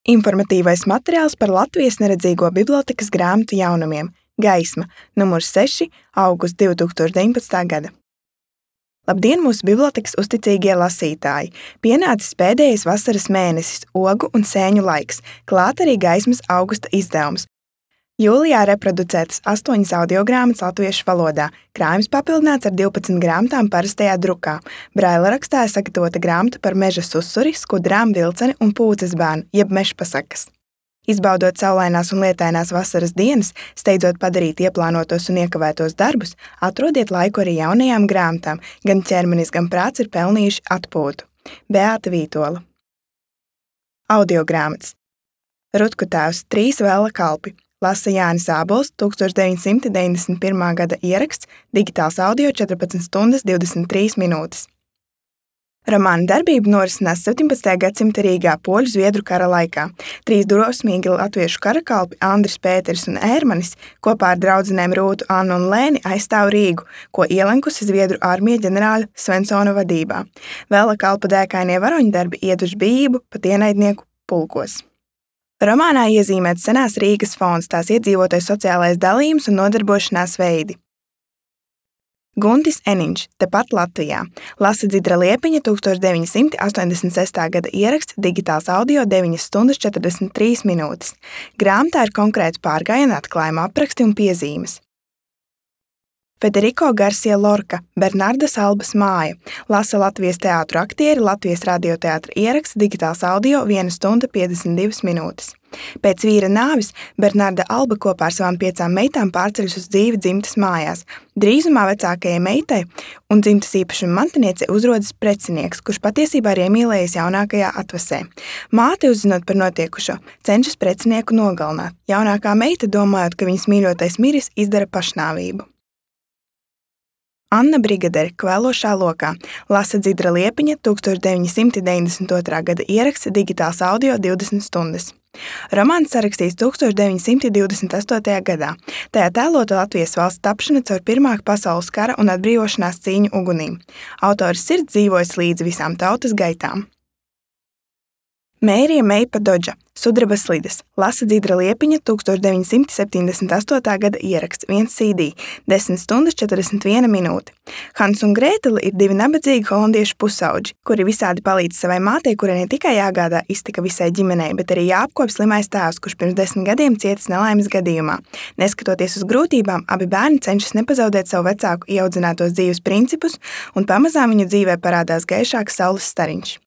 Informatīvais materiāls par Latvijas neredzīgo bibliotēkas grāmatu jaunumiem Gaisma, numurs 6, augusts 2019. gada. Labdien, mūsu bibliotēkas uzticīgie lasītāji! Pienācis pēdējais vasaras mēnesis, ogu un sēņu laiks, klāt arī Gaismas augusta izdevums. Jūlijā reproducētas 8 audiogrāmatas latviešu valodā, krājums papildināts ar 12 grāmatām parastajā drukā. Braila rakstā sagatavota grāmata par meža susuri, skudrām, vilceni un pūces bērnu, jeb mežpasakas. Izbaudot saulainās un lietainās vasaras dienas, steidzot padarīt ieplānotos un iekavētos darbus, atrodiet laiku arī jaunajām grāmatām, gan ķermenis, gan prāts ir pelnījuši atpūtu. Beāta Vītola. Audiogrāmatas. Rutku tēvs 3 vēla kalpi. Lasa Jānis Ābols, 1991. gada ieraksts, digitāls audio 14 stundas 23 minūtes. Romāna darbība norisinās 17. gadsimta Rīgā poļu-zviedru kara laikā. 3 drosmīgi latviešu karakalpi Andris, Pēteris un Ērmanis kopā ar draudzenēm Rūtu, Annu un Lēni aizstāv Rīgu, ko ielenkusi Zviedru armija ģenerāļa Svensona vadībā. Vēla kalpa dēkainie varoņdarbi ieduši bijību pat ienaidnieku pulkos. Romānā iezīmēts senās Rīgas fons, tās iedzīvotāju sociālais dalījums un nodarbošanās veidi. Guntis Eniņš, tepat Latvijā. Lasa Dzidra Liepiņa, 1986. gada ieraksts, digitāls audio 9 stundas 43 minūtes. Grāmatā ir konkrēti pārgājienu atklājumu apraksti un piezīmes. Federico Garcia Lorca, Bernardas Albas māja. Lasa Latvijas teātru aktieri, Latvijas radioteātra ieraksts, digitāls audio 1 stunda 52 minūtes. Pēc vīra nāves Bernarda Alba kopā ar savām 5 meitām pārceļas uz dzīvi dzimtas mājās. Drīzumā vecākajai meitai un dzimtas īpašuma mantiniecei uzrodas precinieks, kurš patiesībā ir iemīlējies jaunākajā atvasē. Māte, uzzinot par notiekušo, cenšas precinieku nogalināt. Jaunākā meita, domājot, ka viņas mīļotais miris, izdara pašnāvību. Anna Brigadere, Kvēlošā lokā. Lasa Dzidra Liepiņa, 1992. gada ieraksts, digitāls audio 20 stundas. Romāns sarakstīts 1928. gadā. Tajā tēlota Latvijas valsts tapšana caur Pirmā pasaules kara un atbrīvošanās cīņu ugunīm. Autors sirds dzīvojas līdz visām tautas gaitām. Mērija Meipa Dodža, Sudrabas slidas. Lasa Dzidra Liepiņa, 1978. gada ieraksts, 1 CD, 10 stundas 41 minūte. Hans un Grētele ir 2 nabadzīgi holandiešu pusauģi, kuri visādi palīdz savai mātei, kurai ne tikai jāgādā iztika visai ģimenei, bet arī jāapkop slimais tēvs, kurš pirms 10 gadiem cietis nelaimes gadījumā. Neskatoties uz grūtībām, abi bērni cenšas nepazaudēt savu vecāku ieaudzinātos dzīves principus, un pamazām viņu dzīvē parādās gaišāks saules stariņš.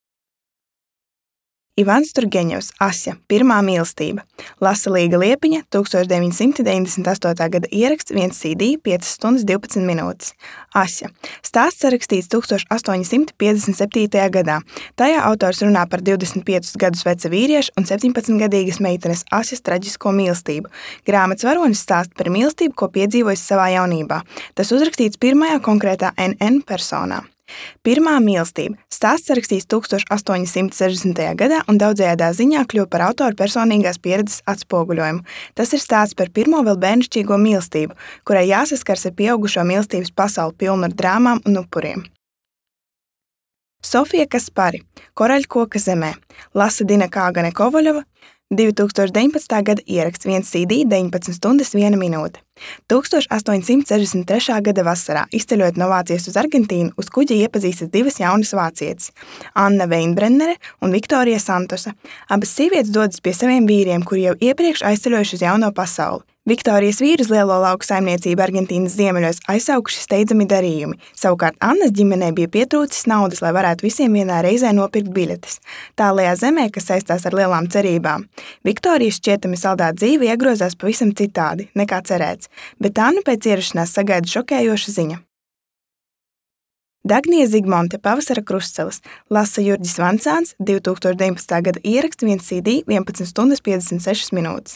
Ivans Turgeņevs, Asja, Pirmā mīlestība. Lasa Līga Liepiņa, 1998. gada ieraksts, 1 CD, 5 stundas 12 minūtes. Asja. Stāsts sarakstīts 1857. gadā. Tajā autors runā par 25 gadus veca vīrieša un 17-gadīgas meitenes Asjas traģisko mīlestību. Grāmatas varonis stāsta par mīlestību, ko piedzīvojis savā jaunībā. Tas uzrakstīts pirmajā konkrētā NN personā. Pirmā mīlestība. Stāsts sarakstīts 1860. gadā un daudzējādā ziņā kļuva par autora personīgās pieredzes atspoguļojumu. Tas ir stāsts par pirmo vēl bērnišķīgo mīlestību, kurai jāsaskars ar pieaugušo mīlestības pasauli pilnu ar drāmām un upuriem. Sofija Kaspari, Koraļkoka zemē. Lasa Dina Kāgane Kovaļova, 2019. gada ieraksts, 1 CD, 19 stundas 1 minūte. 1863. gada vasarā, izceļot no Vācijas uz Argentīnu, uz kuģa iepazīstas 2 jaunas vācietes – Anna Veinbrennere un Viktorija Santosa. Abas sievietes dodas pie saviem vīriem, kuri jau iepriekš aizceļojuši uz jauno pasauli. Viktorijas vīru uz lielo lauku saimniecību Argentīnas ziemeļos aizsaukuši steidzami darījumi. Savukārt Annas ģimenei bija pietrūcis naudas, lai varētu visiem vienā reizē nopirkt biļetes. Tālajā zemē, kas saistās ar lielām cerībām. Viktorijas šķietami saldā dzīve iegrozās pavisam citādi, nekā cerēts, bet Annu pēc ierašanās sagaida šokējoša ziņa. Dagnija Zigmonte, Pavasara krustcelis. Lasa Jurģis Vancāns, 2019. gada ieraksts, 1 CD, 11 stundas 56 minūtes.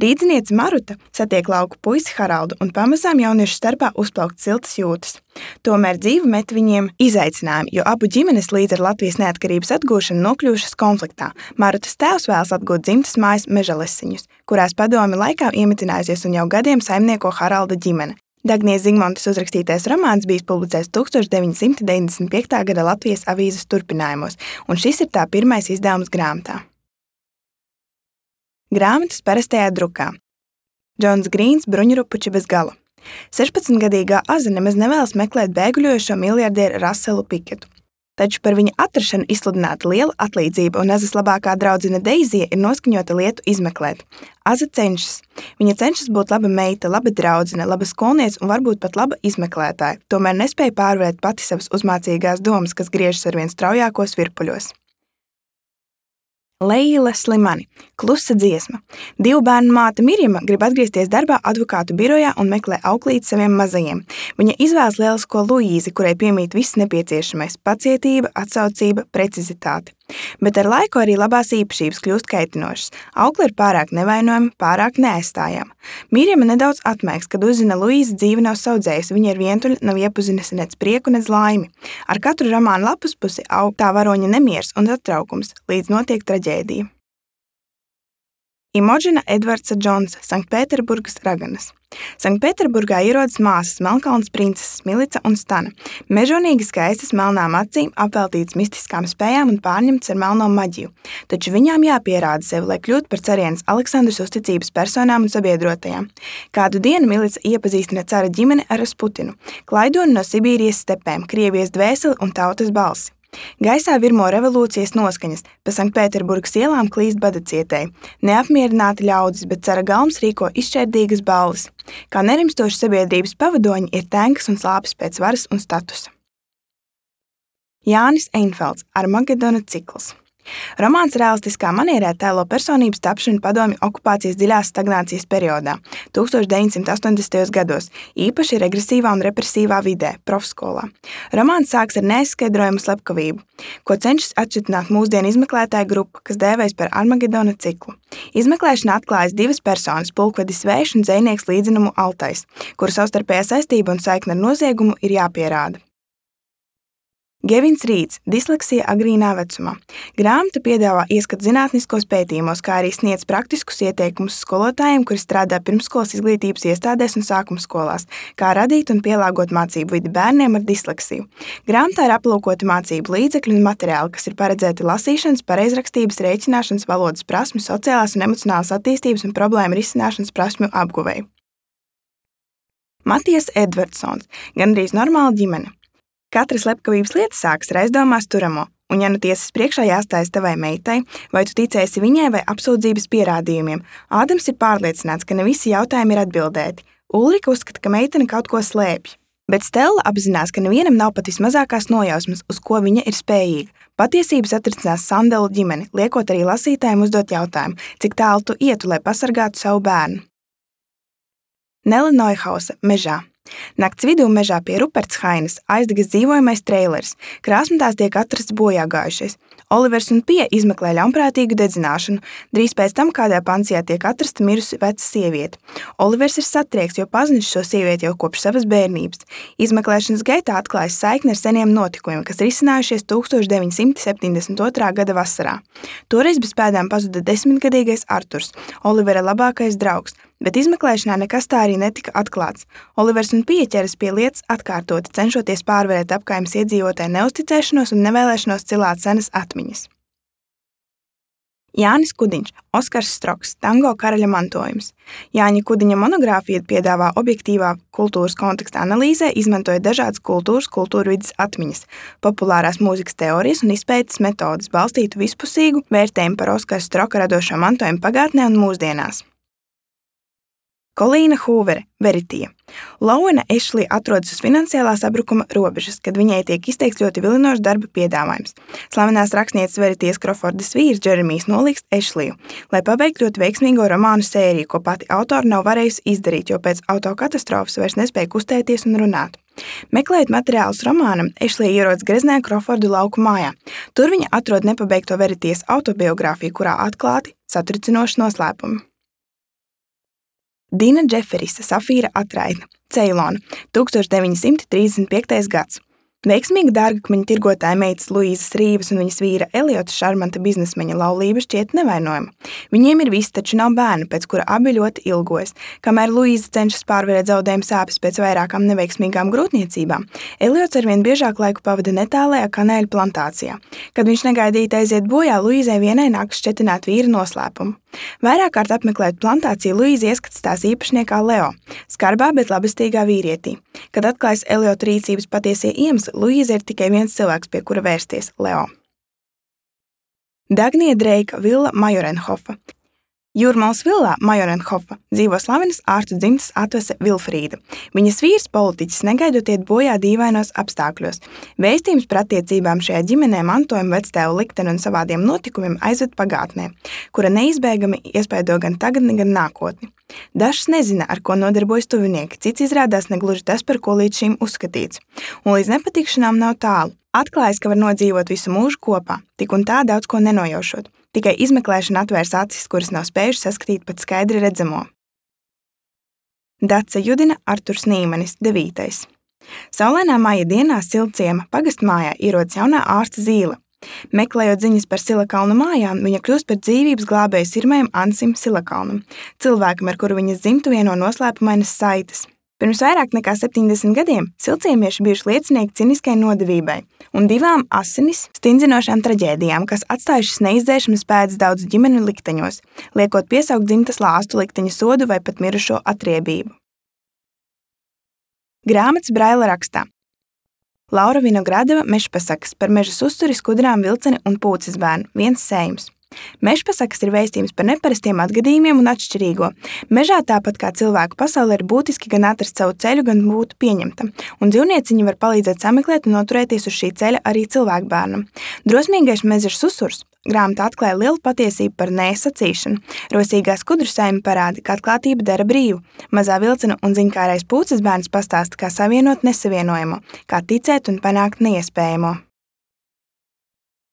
Rīdziniece Maruta satiek lauku puisi Haraldu un pamazām jauniešu starpā uzplaukt siltas jūtas. Tomēr dzīve met viņiem izaicinājumu, jo abu ģimenes līdz ar Latvijas neatkarības atgūšanu nokļuvušas konfliktā. Marutas tēvs vēlas atgūt dzimtas mājas Mežalesiņus, kurās padomju laikā iemitinājusies un jau gadiem saimnieko Haralda ģimene. Dagnijas Zigmontes uzrakstītais romāns bijis publicēts 1995. gada Latvijas avīzes turpinājumos, un šis ir tā pirmais izdevums grāmatā. Grāmatas parastajā drukā. Džons Grīns bruņurupuči bez gala. 16-gadīgā Aza nemaz nevēlas meklēt bēguļojošo miljardieru Raselu Piketu. Taču par viņa atrašanu izsludināta liela atlīdzība, un Azas labākā draudzene Deizija ir noskaņota lietu izmeklēt. Aza cenšas. Viņa cenšas būt laba meita, laba draudzene, laba skolniece un varbūt pat laba izmeklētāja, tomēr nespēja pārvarēt pati savas uzmācīgās domas, kas griežas arvien straujākos virpuļos. Leila Slimani. Klusa dziesma. 2 bērnu māte Mirjama grib atgriezties darbā advokātu birojā un meklē auklīti saviem mazajiem. Viņa izvēlas lielisko Luīzi, kurai piemīt viss nepieciešamais – pacietība, atsaucība, precizitāte. Bet ar laiku arī labās īpašības kļūst kaitinošas. Aukle ir pārāk nevainojama, pārāk neaizstājama. Mirjama nedaudz atmēgs, kad uzzina Luīza dzīve nav saudzējusi, viņa ir vientuļa, nav iepazinusi nec prieku, nec laimi. Ar katru romānu lapus pusi aug tā varoņa nemiers un satraukums, līdz notiek traģēdija. Imodžina Edvardsa Džonsa, Sanktpēterburgas raganas. Sanktpēterburgā ierodas māsas Melnkalnes princeses Milica un Stana. Mežonīgi skaistas melnām acīm, apveltītas mistiskām spējām un pārņemtas ar melno maģiju. Taču viņām jāpierāda sevi, lai kļūtu par carienes Aleksandras uzticības personām un sabiedrotajām. Kādu dienu Milica iepazīstina cara ģimeni ar Rasputinu, klaidoni no Sibīrijas stepēm, Krievijas dvēseli un tautas balsi. Gaisā virmo revolūcijas noskaņas, pa Sanktpēterburgas ielām klīst badacietēji. Neapmierināti ļaudis, bet cara galms rīko izšķērdīgas balles. Kā nerimstoši sabiedrības pavadoņi ir tenkas un slāpes pēc varas un statusa. Jānis Einfelds, Armagedona cikls. Romāns realistiskā manierē tēlo personības tapšanu padomju okupācijas dziļās stagnācijas periodā, 1980. gados, īpaši regresīvā un represīvā vidē, profskolā. Romāns sāks ar neizskaidrojamu slepkavību, ko cenšas atšķitināt mūsdienu izmeklētāju grupa, kas dēvējas par Armagedona ciklu. Izmeklēšanā atklājas 2 personas, pulkvedis Vējš un dzejnieks Līdzinumu Altais, kuru savstarpējā saistība un saikne ar noziegumu ir jāpierāda. Gevins Rīds, Disleksija agrīnā vecumā. Grāmata piedāvā ieskatu zinātniskos pētījumos, kā arī sniedz praktiskus ieteikumus skolotājiem, kuri strādā pirmsskolas izglītības iestādēs un sākumskolās, kā radīt un pielāgot mācību vidi bērniem ar disleksiju. Grāmatā ir aplūkoti mācību līdzekļi un materiāli, kas ir paredzēti lasīšanas, pareizrakstības, rēķināšanas, valodas prasmu, sociālās un emocionālās attīstības un problēmu risināšanas prasmju apguvei. Matijas Edvardsons, Gandrīz normāla ģimene. Katra slepkavības lieta sākas ar aizdomās turamo, un ja nu tiesas priekšā jāstājas tavai meitai, vai tu ticēsi viņai vai apsūdzības pierādījumiem, Ādams ir pārliecināts, ka ne visi jautājumi ir atbildēti. Ulrika uzskata, ka meitene kaut ko slēpj. Bet Stella apzinās, ka nevienam nav pat vismazākās nojausmas, uz ko viņa ir spējīga. Patiesības atrisinās Sandelu ģimeni, liekot arī lasītājiem uzdot jautājumu, cik tālu tu ietu, lai pasargātu savu bērnu. Nele Neuhausa, Mežā. Nakts vidū mežā pie Rupertshainas aizdegas dzīvojamais treilers. Krāsmatās tiek atrasts bojāgājušies. Olivers un Pie izmeklē ļaunprātīgu dedzināšanu. Drīz pēc tam kādā pansijā tiek atrasta mirusi veca sieviete. Olivers ir satriekts, jo pazinis šo sievieti jau kopš savas bērnības. Izmeklēšanas gaitā atklājas saikne ar seniem notikumiem, kas risinājušies 1972. gada vasarā. Toreiz bez pēdām pazuda 10-gadīgais Arturs, Olivera labākais draugs. Bet izmeklēšanā nekas tā arī netika atklāts. Olivers un Pie ķeras pie lietas atkārtoti, cenšoties pārvarēt apkaimes iedzīvotāju neusticēšanos un nevēlēšanos cilāt senas atmiņas. Jānis Kudiņš, Oskars Stroks, Tango karaļa mantojums. Jāņa Kudiņa monogrāfija piedāvā objektīvā kultūras konteksta analīzē, izmantoja dažādas kultūrvides atmiņas, populārās mūzikas teorijas un izpētes metodes, balstītu vispusīgu vērtējumu par Oskara Stroka radošo mantojumu pagātnē un mūsdienās. Kolīna Hūvere, Veritija. Lauena Ešlija atrodas uz finansiālā sabrukuma robežas, kad viņai tiek izteikts ļoti vilinošs darba piedāvājums. Slavenās rakstnieces Veritijas Krofordas vīrs Džeremijs nolīgst Ešliju, lai pabeigtu ļoti veiksmīgo romānu sēriju, ko pati autora nav varējusi izdarīt, jo pēc autokatastrofas vairs nespēja kustēties un runāt. Meklējot materiālus romānam, Ešlija ierodas greznajā Krofordu lauku mājā. Tur viņa atrod nepabeigto Veritijas autobiogrāfiju, kurā atklāti satricinoši noslēpumi. Dina Džeferisa, Safīra atraitne, Ceilona, 1935. gads. Veiksmīga dārgakmeņa tirgotāja meitas Luīzas Rīvas un viņas vīra Eliota šarmanta biznesmeņa laulība šķiet nevainojama. Viņiem ir viss, taču nav bērnu, pēc kura abi ļoti ilgojas. Kamēr Luīza cenšas pārvarēt zaudējumu sāpes pēc vairākām neveiksmīgām grūtniecībām, Eliots arvien biežāk laiku pavada netālajā kanēļu plantācijā. Kad viņš negaidīti aiziet bojā, Luīzai vienai nākas šķetināt vīra noslēpumu. Vairāk kārt apmeklējot plantāciju, Luīza ieskats tās īpašniekā Leo, skarbā, bet labestīgā vīrietī. Kad atklājas Eliota rīcības patiesie iemesli, Luīza ir tikai viens cilvēks, pie kura vērsties – Leo. Dagnija Dreika villa Majorenhofa. Jūrmalas villā Majorenhofa dzīvo slavenas ārstu dzimtas atvese Vilfrīda. Viņas vīrs, politiķis, negaidot iet bojā dīvainos apstākļos. Vēstījums par attiecībām šajā ģimenē, mantojumu, vectēvu likteni un savādiem notikumiem aizved pagātnē, kura neizbēgami iespaido gan tagadni, gan nākotni. Dažs nezina, ar ko nodarbojas tuvinieki, cits izrādās negluži tas, par ko līdz šim uzskatīts. Un līdz nepatikšanām nav tālu. Atklājas, ka var nodzīvot visu mūžu kopā, tik un tā daudz ko nenojaušot. Tikai izmeklēšana atvērs acis, kuras nav spējuši saskatīt pat skaidri redzamo. Dace Judina Arturs Nīmanis, 9. Saulainā maija dienā Silciema pagastmājā ierodas jaunā ārsta Zīle. Meklējot ziņas par Silakalnu mājām, viņa kļūst par dzīvības glābēju sirmajam Ansim Silakalnam, cilvēkam, ar kuru viņas dzimtu vieno noslēpumainas saites. Pirms vairāk nekā 70 gadiem silciemieši bijuši liecinieki ciniskai nodevībai un 2 asinis stingzinošām traģēdijām, kas atstājušas neizdzēšamas pēdas daudz ģimeņu likteņos, liekot piesaukt dzimtas lāstu likteņa sodu vai pat mirušo atriebību. Grāmatas Braila rakstā. Laura Vinogradova mežpasakas par mežas uzturi, skudrām, vilceni un pūces bērnu, viens sējums. Mežpasakas ir vēstījums par neparastiem atgadījumiem un atšķirīgo. Mežā tāpat kā cilvēku pasaulē ir būtiski gan atrast savu ceļu, gan būt pieņemtam, un dzīvnieciņi var palīdzēt sameklēt un noturēties uz šī ceļa arī cilvēku bērnam. Drosmīgais mežas susurs grāmata atklāja lielu patiesību par nesacīšanu. Rosīgā skudru saime parāda, ka atklātība dara brīvu. Mazā vilcena un ziņkārais pūces bērns pastāsta, kā savienot nesavienojamo, kā ticēt un panākt neiespējamo.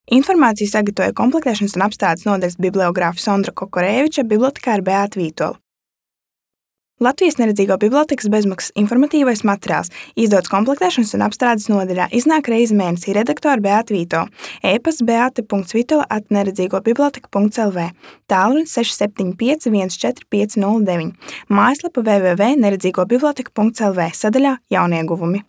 Informāciju sagatavoja komplektēšanas un apstrādes nodaļas bibliogrāfa Sondra Kokorēviča, bibliotekāra Beāta Vītola. Latvijas neredzīgo bibliotekas bezmaksas informatīvais materiāls izdots komplektēšanas un apstrādes nodaļā, iznāk reizi mēnesī, redaktora Beāta Vītola, e-pasts beata.vitola@neredzīgobiblioteka.lv, tālrunis 675 14509, mājaslapa www.neredzīgobiblioteka.lv, sadaļā Jaunieguvumi.